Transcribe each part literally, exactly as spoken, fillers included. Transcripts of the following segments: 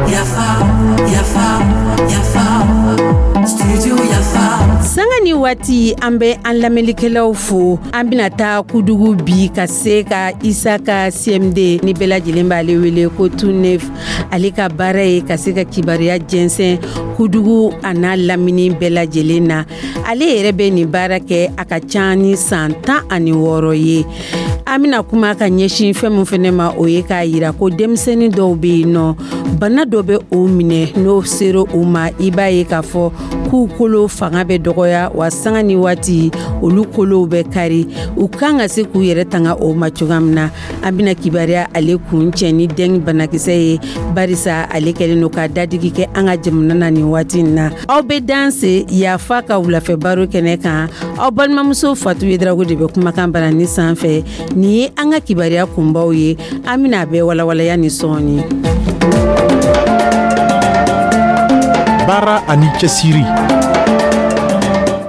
Yafa, yafa, yafa, studio Yafa. Sanga ni waati, an bɛ an lamɛnlikɛlaw fo. An bɛna taa Kudugu bi ka se ka Isaka C M D ni bɛɛ lajɛlen b'ale wele ko Tunef. Ale ka baara ye ka se ka kibaruya jɛnsɛn Kudugu a n'a lamini bɛɛ lajɛlen na. Ale yɛrɛ bɛ nin baara kɛ a ka ca ni san tan ani wɔɔrɔ ye. An bɛna kuma ka ɲɛsin fɛn min fɛnɛ ma, o ye k'a yira ko denmisɛnnin dɔw bɛ yen nɔ, bana dɔ bɛ o minɛ. N'o sera u ma, i b'a ye k'a fɔ k'u kolo fanga bɛ dɔgɔya wa, sanga ni waati olu kolow bɛ kari. U kan ka se k'u yɛrɛ tanga o ma cogoya min na, an bɛna kibaruya ale kun cɛ ni dengue banakisɛ ye, barisa ale kɛlen don ka dadigi kɛ an ka jamana na nin waati in na. Aw bɛ danse Yafa ka wulafɛ baro kɛnɛ kan. Aw balimamuso Fatu Yedrago de bɛ kumakan barani sanfɛ. Nin ye an ka kibaruya kunbaw ye. An bɛna a bɛɛ walawalaya ni sɔɔni. Baara ani cɛsiri.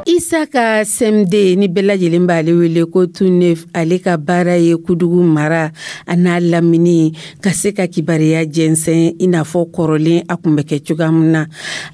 Isaka C M D ni bɛɛ lajɛlen b'ale wele ko Tunef, ale ka baara ye Kudugu mara a n'a lamini ka se ka kibaruya jɛnsɛn i n'a fɔ kɔrɔlen a kun bɛ kɛ cogoya min na.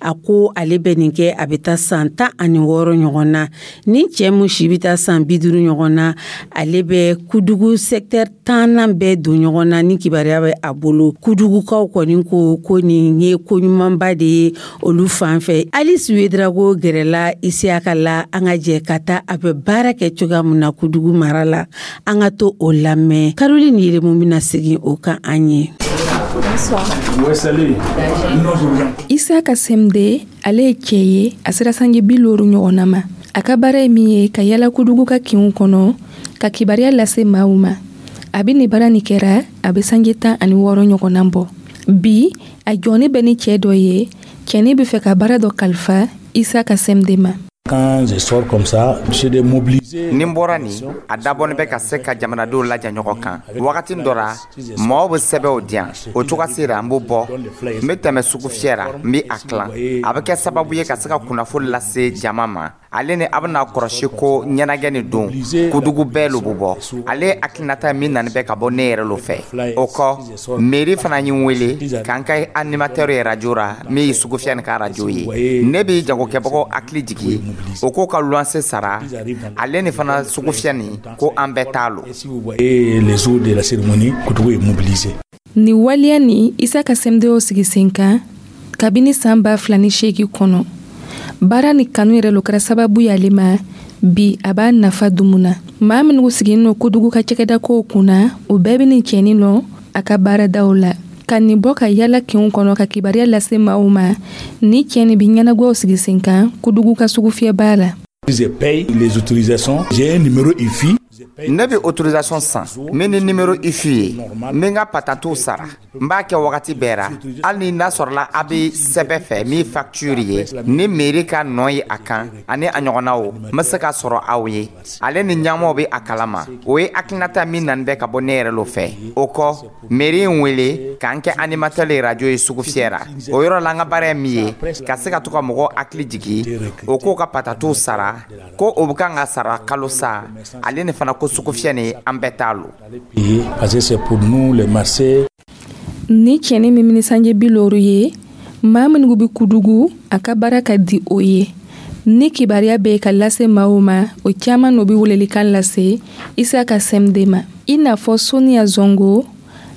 A ko ale bɛ nin kɛ a bɛ taa san tan ani wɔɔrɔ ɲɔgɔn na. Ni cɛ mun si bɛ taa san bi duuru ɲɔgɔn na, ale bɛ Kudugu secteur tannan bɛɛ don ɲɔgɔn na ni kibaruya bɛ a bolo. Kudugukaw kɔni ko ko nin ye ko ɲumanba de ye olu fan fɛ. Alice Wedrago gɛrɛla Isiyaka la. An ka jɛ ka taa a bɛ baara kɛ cogoya min na Kudugu mara la, an ka to o lamɛn. Caroline Yeremu bɛna segin o kan an ye. Isaka C M D, ale ye cɛ ye, a sera sanji bi loru ɲɔgɔnna ma. A ka baara ye min ye, ka yala Kudugu ka kinw kɔnɔ ka kibaruya lase maaw ma. A bɛ nin baara nin kɛra a bɛ sanji tan ani wɔɔrɔ ɲɔgɔnna bɔ bi. A jɔnni bɛ ni cɛ dɔ ye. Cɛnin bɛ fɛ ka baara dɔ kalifa Isaka C M D ma. Quand je sors comme ça, c'est de mobiliser. Ni n bɔra nin, a dabɔnin bɛ ka se ka jamanadenw laja ɲɔgɔn kan. Wagati dɔ ra, mɔgɔw bɛ sɛbɛnw di yan. O cogoya sera, n b'o bɔ, n bɛ tɛmɛ sugu fiyɛ ra, n bɛ a tilan. A bɛ kɛ sababu ye ka se ka kunnafoni lase jama ma. Ale ni a bɛna kɔlɔsi ko ɲɛnajɛ nin don, Kudugu bɛɛ lo bɛ bɔ. Ale hakilinata min nani bɛ ka bɔ ne yɛrɛ lo fɛ. O kɔ, mairie fana ye n wele k'an ka animateur ye radio ra, min ye sugu fiyɛ nin ka radio ye. Ne bɛ jagokɛbagaw hakili jigi o k'o ka luwanse sara. Ale ni fana sugu fiyɛ nin ko an bɛɛ t'a lo. Si vous voyez les jours de la cérémonie, Koudougou est mobilisé. Nin waleya nin, Isaka C M D y'o sigi sen kan kabini san ba fila ni seegin kɔnɔ. Baara ni kanu yɛrɛ lo kɛra sababu y'ale ma. Bi a b'a nafa dumu na. Maa minnu sigilen no Kodugu ka cakɛda kow kunna, o bɛɛ bɛ nin cɛnin lɔn a ka baaradaw la. Ka nin bɔ ka yala kinw kɔnɔ ka kibaruya lase maaw ma, ni cɛ nin bɛ ɲɛnagwaw sigi sen kan Kodugu ka sugu fiyɛbaa la. Je paye les autorisations. J'ai un numéro I F I. Ne bɛ autorisation san min ni numéro I F I ye. N bɛ n ka patantiw sara, n b'a kɛ wagati bɛɛ ra. Hali ni n'a sɔrɔla a bɛ sɛbɛn fɛ min facture ye ni mairie ka nɔ ye a kan ani a ɲɔgɔnnaw, n bɛ se ka sɔrɔ aw ye. Ale ni ɲɛmɔgɔw bɛ a kalama. O ye hakilinata min nani bɛ ka bɔ ne yɛrɛ lo fɛ. O kɔ, mairie ye n wele k'an kɛ animateur ye radio ye sugu fiyɛ ra. O yɔrɔ la, an ka baara ye min ye, ka se ka to ka mɔgɔw hakili jigi o k'o ka patatiw sara, ko o bɛ kan ka sara kalo sa. Ale ni fana ko sugu fiyɛ nin, an bɛɛ t'a lo. Parce que c'est pour nous les marchés. Ni cɛnin min ni sanji bi loru ye, maa minnu bɛ Kudugu, a ka baara ka di o ye. Ni kibaruya bɛ ka lase maaw ma, o caman n'o bɛ welelikan lase Isaka C M D ma, i n'a fɔ Soniya Zongo.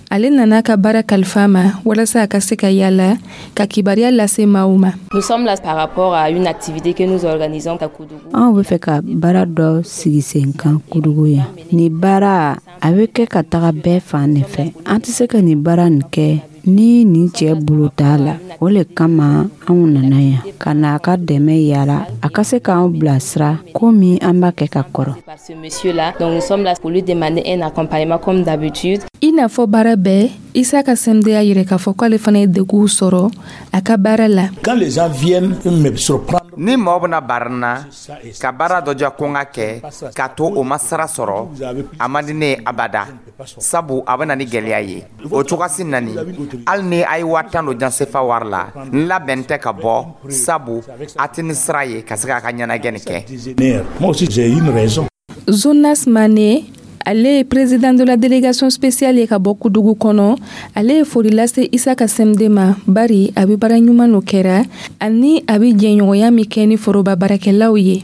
Ale nana ka baara kalifa ma walasa a ka se ka yala ka kibaruya lase maaw ma. Nous sommes là par rapport à une activité que nous organisons à Koudougou. Anw bɛ fɛ ka baara dɔ sigi sen kan Kudugu yan. Nin baara a bɛ kɛ ka taga bɛɛ fan de fɛ. An tɛ se ka nin baara nin kɛ ni nin cɛ bolo t'a la. O le kama anw nana yan ka na a ka dɛmɛ yala a ka se k'anw bilasira komi an b'a kɛ ka kɔrɔ. Par ce monsieur-là, donc nous sommes là pour lui demander un accompagnement comme d'habitude. I n'a fɔ baara bɛɛ, Isaka C M D y'a yira k'a fɔ k'ale fana ye deguw sɔrɔ a ka baara la. Quand les gens viennent me surprendre, Ni mɔgɔ bɛna bari n na ka baara dɔ diya ko n ka kɛ k'a to o ma sara sɔrɔ, a man di ne ye abada, sabu a bɛ na ni gɛlɛya ye. O cogoyasi nani, hali ni a ye waa tan don jansefa wari la, n labɛn tɛ ka bɔ, sabu a tɛ ni sira ye ka se k'a ka ɲɛnajɛ nin kɛ. Moi aussi j'ai une raison. Jonas Mane, Ale ye président de la délégation spéciale ye ka bɔ Kudugu kɔnɔ. Ale ye foli lase Isaka C M D ma, bari a bɛ baara ɲuman no kɛra ani a bɛ jɛɲɔgɔnya min kɛ ni foroba baarakɛlaw ye.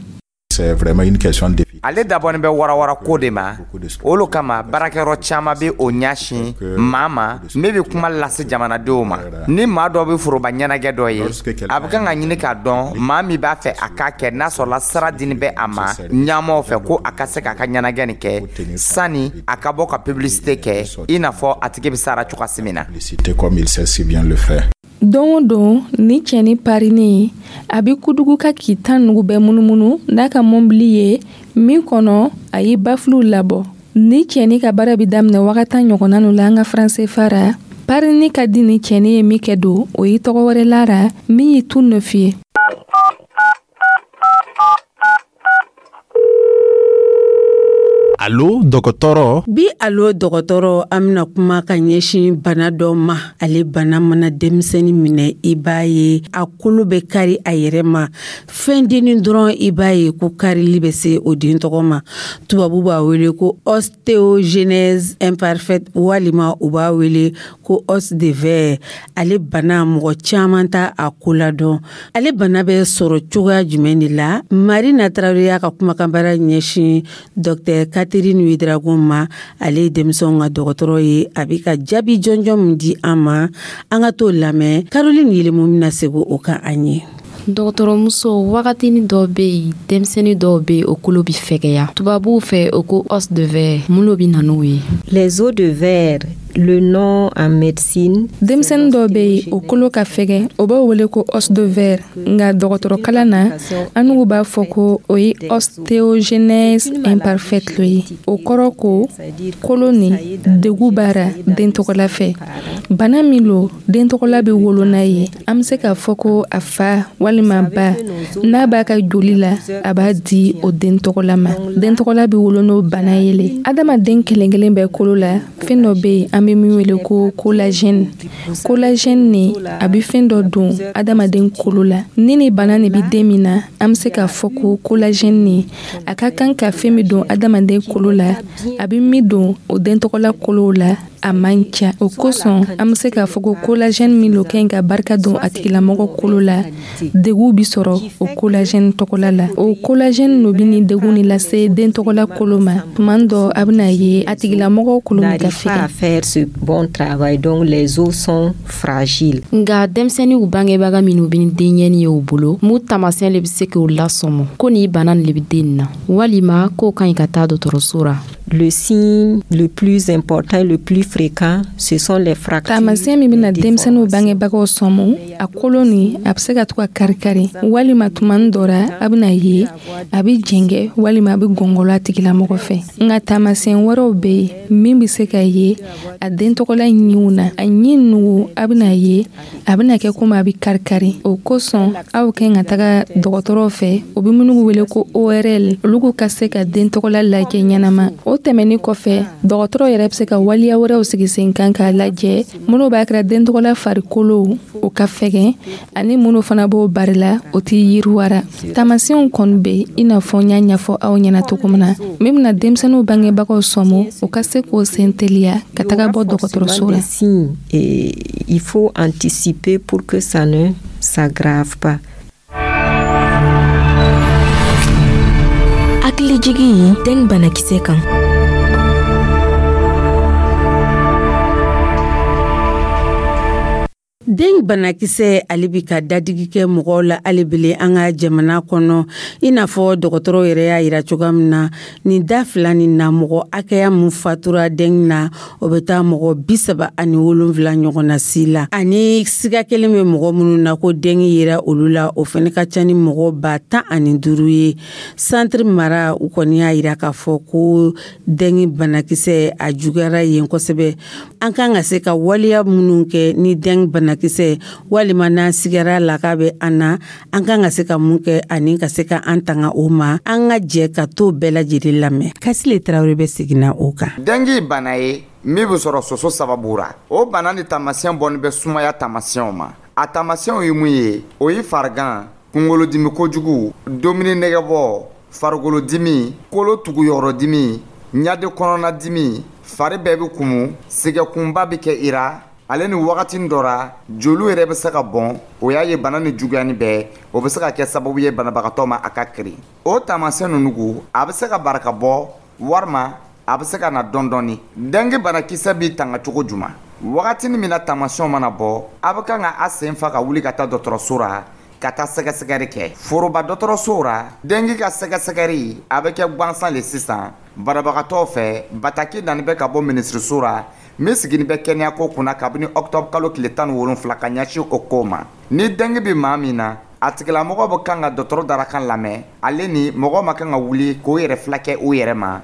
C'est vraiment une question de Ale dabɔnin bɛ warawara ko de ma. O lo kama baarakɛyɔrɔ caman bɛ o ɲɛsin maa ma min bɛ kuma lase jamanadenw ma. Ni maa dɔ bɛ foroba ɲɛnajɛ dɔ ye, a bɛ kan ka ɲini k'a dɔn maa min b'a fɛ a k'a kɛ, n'a sɔrɔla sara dini bɛ a ma ɲɛmaw fɛ ko a ka se k'a ka ɲɛnajɛ nin kɛ, sani a ka bɔ ka publicité kɛ, i n'a fɔ a tigi bɛ sara cogoya min na. Comme il sait si bien le faire. Don o don, ni cɛni parinin a bɛ Kudugu ka k'i tan nugu bɛɛ munumunu n'a ka mɔbili ye min kɔnɔ, a ye bafiluw labɔ. Ni cɛni ka baara bɛ daminɛ wagati ɲɔgɔnna nu la an ka franc C F A ra. Parini ka di ni cɛni ye min kɛ don, o ye tɔgɔ wɛrɛ lara min ye tout neuf ye. Alo dɔgɔtɔrɔ. Bi alo dɔgɔtɔrɔ, an bɛna kuma ka ɲɛsin bana dɔ ma. Ale bana mana denmisɛnnin minɛ, i b'a ye a kolo bɛ kari a yɛrɛ ma. Fɛn dennin dɔrɔn, i b'a ye ko karili bɛ se o den tɔgɔ ma. Tubabu b'a wele ko ostéogenèse imparfaite, walima u b'a wele ko os de verre. Ale bana, mɔgɔ caman t'a a ko ladɔn. Ale bana bɛ sɔrɔ cogoya jumɛn de la? Marina Tarawele y'a ka kumakanbaara ɲɛsin docteur Catherine Ouedraogo ma. Ale ye denmisɛnw ka dɔgɔtɔrɔ ye. A bɛ ka jaabi jɔnjɔn min di an ma, an ka t'o lamɛn. Caroline Yelemu bɛna segin o kan an ye. Dɔgɔtɔrɔmuso, wagatinin dɔw bɛ yen, denmisɛnnin dɔw bɛ yen, o kolo bɛ fɛgɛya. Tubabuw fɛ, o ko os de verre. Mun de bɛ na n'o ye? Les os de verre, le nom en médecine. Denmisɛnnin dɔw bɛ yen, o kolo ka fɛgɛ, o b'o wele ko os de verre. Nka dɔgɔtɔrɔkalan na, an n'u b'a fɔ ko o ye ostéogenèse imparfaite lo ye. O kɔrɔ ko kolo ni degun b'a ra den tɔgɔla fɛ. Bana min lo, den tɔgɔla bɛ wolo n'a ye. An bɛ se k'a fɔ ko a fa walima ba, n'a b'a ka joli la, a b'a di o den tɔgɔla ma. Den tɔgɔla bɛ wolo n'o bana ye le. Adamaden kelen kelen bɛɛ kolo la, fɛn dɔ bɛ yen an bɛ min wele ko collagène. Collagène ni a bɛ fɛn dɔ don adamaden kolo la. Ni ni bana nin bɛ den min na, an bɛ se k'a fɔ ko collagène ni a ka kan ka fɛn min don adamaden kolo la, a bɛ min don o den tɔgɔla kolow la, a man ca. O kosɔn an bɛ se k'a fɔ ko collagène min lo ka ɲi ka barika don a tigilamɔgɔ kolo la, degun bi sɔrɔ o collagène tɔgɔla la. O collagène no bɛ ni degun ni lase den tɔgɔla kolo ma. Tuma dɔ, a bɛna ye a tigilamɔgɔ kolo bɛ ka fɛgɛn. Ce bon travail, donc les os sont fragiles. Nka denmisɛnninw bangebaga minnu bɛ ni denɲɛnin ye u bolo, mun taamasiyɛn de bɛ se k'o lasɔmɔ ko nin bana nin de bɛ den na, walima k'o ka ɲi ka taa dɔgɔtɔrɔso la? Le signe le plus important et le plus fréquent, ce sont les fractures. Taamasiyɛn min bɛna denmisɛnninw bangebagaw sɔmɔ, a kolo ni a bɛ se ka to ka kari-kari, walima tuma dɔ la, a bɛna ye a bɛ jɛngɛ, walima a bɛ gɔngɔlɔ a tigilamɔgɔ fɛ. Nka taamasiyɛn wɛrɛw bɛ yen min bɛ se ka ye a den tɔgɔla ɲinw na. A ɲin nugu, a bɛna ye a bɛna kɛ komi a bɛ kari-kari. O kosɔn aw ka ɲi ka taga dɔgɔtɔrɔw fɛ, o bɛ minnu wele ko O R L, olu ka se ka den tɔgɔla lajɛ ɲɛnama. O tɛmɛnen kɔfɛ, dɔgɔtɔrɔ yɛrɛ bɛ se ka waleya wɛrɛw sigi sen kan k'a lajɛ minnu b'a kɛra den tɔgɔla farikolo o ka fɛgɛn, ani minnu fana b'o bari la, o tɛ yiriwara. Taamasiyɛnw kɔni bɛ i n'a fɔ n y'a ɲɛfɔ aw ɲɛna cogo min na, min bɛna denmisɛnninw bangebagaw sɔmɔ, o ka se k'o sen teliya ka taga bɔ dɔgɔtɔrɔso la. Il faut anticiper pour que ça ne s'aggrave pas. Hakilijigi den banakisɛ kan. Den banakisɛ, ale bi ka dadigi kɛ mɔgɔw la alibele an ka jamana kɔnɔ. I n'a fɔ dɔgɔtɔrɔw yɛrɛ y'a yira cogoya min na, nin da fila nin na, mɔgɔ hakɛya mun fatura den na, o bɛ taa mɔgɔ bi saba ani wolonfila ɲɔgɔn na si la. Ani siga kelen bɛ mɔgɔ minnu na ko den yera olu la, o fana ka ca ni mɔgɔ ba tan ani duuru ye. Centre mara, u kɔni y'a yira k'a fɔ ko den banakisɛ a juguyara yen kosɛbɛ. An kan ka se ka waleya minnu kɛ ni den banakisɛ, walima n'an sigara la k'a bɛ an na, an kan ka se ka mun kɛ ani ka se ka an tanga o ma, an ka jɛ ka t'o bɛɛ lajɛlen lamɛn. Kasile Tarawele bɛ seginna o kan. Dengue bana ye min bɛ sɔrɔ soso sababu ra. O bana ni taamasiyɛn bɔnni bɛ sumaya taamasiyɛnw ma. A taamasiyɛnw ye mun ye? O ye farigan, kunkolodimi kojugu, dumuni nɛgɛbɔ, farikolodimi, kolo tuguyɔrɔdimi, Ɲade kɔnɔnadimi, fari bɛɛ bɛ kumu, sɛgɛkunba bɛ kɛ i ra, ale ni wagati dɔ ra joliw yɛrɛ bɛ se ka bɔn. O y'a ye bana ni juguyani bɛɛ, o bɛ se ka kɛ sababu ye banabagatɔ ma a ka kirin. O taamasiyɛn ninnu, a bɛ se ka barika bɔ walima a bɛ se ka na dɔɔni dɔɔni. Dengue banakisɛ b'i tanga cogo juma? Wagati min na taamasiyɛnw mana bɔ, a bɛ kan ka a sen fa ka wuli ka taa dɔgɔtɔrɔso ra ka taa sɛgɛsɛgɛli kɛ. Foroba dɔgɔtɔrɔsow ra, dengue ka sɛgɛsɛgɛli a bɛ kɛ gansan le sisan banabagatɔw fɛ. Bataki nani bɛ ka bɔ minisiriso ra min sigini bɛ kɛnɛyako kunna kabini octobre kalo tile tan ni wolonfila ka ɲɛsin o ko ma. Ni dengue bɛ maa min na, a tigilamɔgɔ bɛ kan ka dɔgɔtɔrɔ darakan lamɛn, ale ni mɔgɔ ma kan ka wuli k'o yɛrɛ fila kɛ o yɛrɛ ma,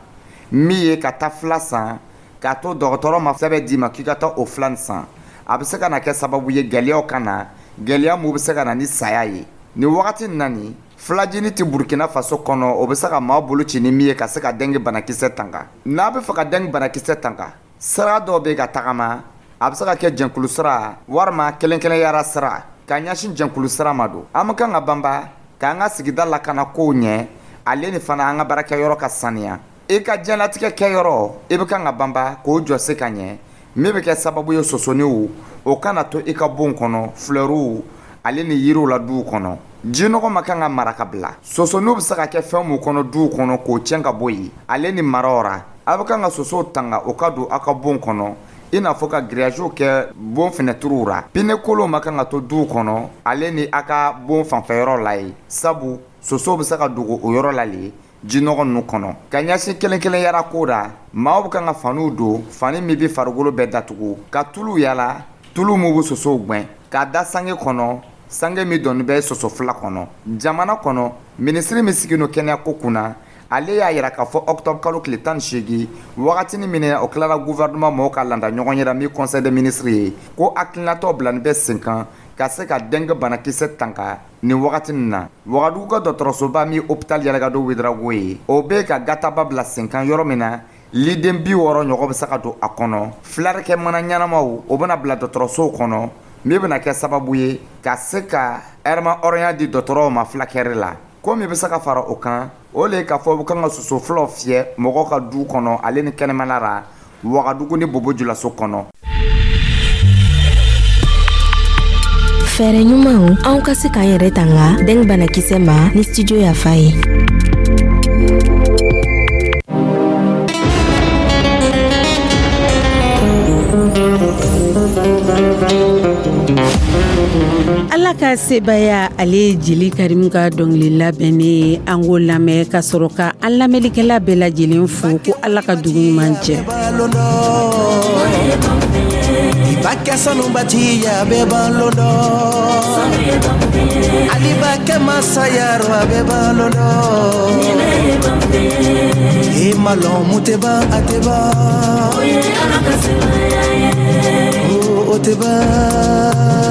min ye ka taa fila san k'a to dɔgɔtɔrɔ ma sɛbɛn d'i ma k'i ka taa o fila san. A bɛ se ka na kɛ sababu ye gɛlɛyaw ka na, gɛlɛya mun bɛ se ka na ni saya ye. Nin wagati in na, nin filajini tɛ Burukina Faso kɔnɔ, o bɛ se ka maa bolo ci ni min ye ka se ka dengue banakisɛ tanga. N'a bɛ fɛ ka dengue banakisɛ tanga, sira dɔw bɛ ka tagama, a bɛ se ka kɛ jɛnkulu sira walima kelen kelenyara sira. Ka ɲɛsin jɛnkulu sira ma don, an bɛ kan ka banba k'an ka sigida lakana kow ɲɛ, ale ni fana an ka baarakɛyɔrɔ ka saniya. I ka diɲɛlatigɛ kɛyɔrɔ, i bɛ kan ka banba k'o jɔ se ka ɲɛ, min bɛ kɛ sababu ye sosoniw o kana to i ka bon kɔnɔ, flɛriw ale ni yiriw la duw kɔnɔ. Jinɔgɔ ma kan ka mara ka bila. Sosoniw bɛ se ka kɛ fɛn mun kɔnɔ duw kɔnɔ, k'o tiɲɛ ka bɔ yen, ale ni maraw ra. A bɛ kan ka sosow tanga o ka don aw ka bon kɔnɔ, i n'a fɔ ka grillage kɛ bon fenɛtiriw ra. Pneu kolonw ma kan ka to duw kɔnɔ, ale ni a ka bon fanfɛyɔrɔ la ye, sabu sosow bɛ se ka dogo o yɔrɔ la le jinɔgɔ ninnu kɔnɔ. Ka ɲɛsin kelen kelen yara ko ra, maaw bɛ kan ka faniw don, fani min bɛ farikolo bɛɛ datugu, ka tulu yala, tulu min bɛ sosow gɛn, k'a da sange kɔnɔ, sange min dɔnni bɛ soso fila kɔnɔ. Jamana kɔnɔ, minisiri min sigilen don kɛnɛyako kunna, ale y'a yira k'a fɔ octobre kalo tile tan ni seegin, wagatinin min o tilara gouvernement mɔgɔw ka landa ɲɔgɔn yɛrɛ min conseil des ministres ye, ko hakilinatɔ bilani bɛ sen kan ka se ka dengue banakisɛ tanga nin wagati nin na. Wagadugu ka dɔgɔtɔrɔsoba min hôpital Yalɛgado Ouédraogo ye, o bɛ ka gataba bila sen kan yɔrɔ min na liden bi wɔɔrɔ ɲɔgɔn bɛ se ka don a kɔnɔ. Filarikɛ mana ɲɛnamaw, o bɛna bila dɔgɔtɔrɔsow kɔnɔ, min bɛna kɛ sababu ye ka se ka ɛrɛma hɔrɔnya di dɔgɔtɔrɔw ma fulakɛri la. Ko min bɛ se ka fara o kan, o le ye k'a fɔ u kan ka soso filaw fiyɛ mɔgɔw ka du kɔnɔ, ale ni kɛnɛmana la, Wagadugu ni Bobo Julaso kɔnɔ. Fɛɛrɛ ɲumanw anw ka se k'an yɛrɛ tanga dengue banakisɛ ma ni studio Yafa ye. Ala ka sebaya, ale ye Jeli Karimu ka dɔnkili labɛnnen ye. An k'o lamɛn ka sɔrɔ ka an lamɛnlikɛla bɛɛ lajɛlen fo ko Ala ka dugu ɲuman jɛ. Ibakɛ sanubatiya bɛɛ balo dɔn, Alibakɛ masayaro a bɛɛ balo dɔn, e ma lɔn mun tɛ ban a tɛ ban, o tɛ ban.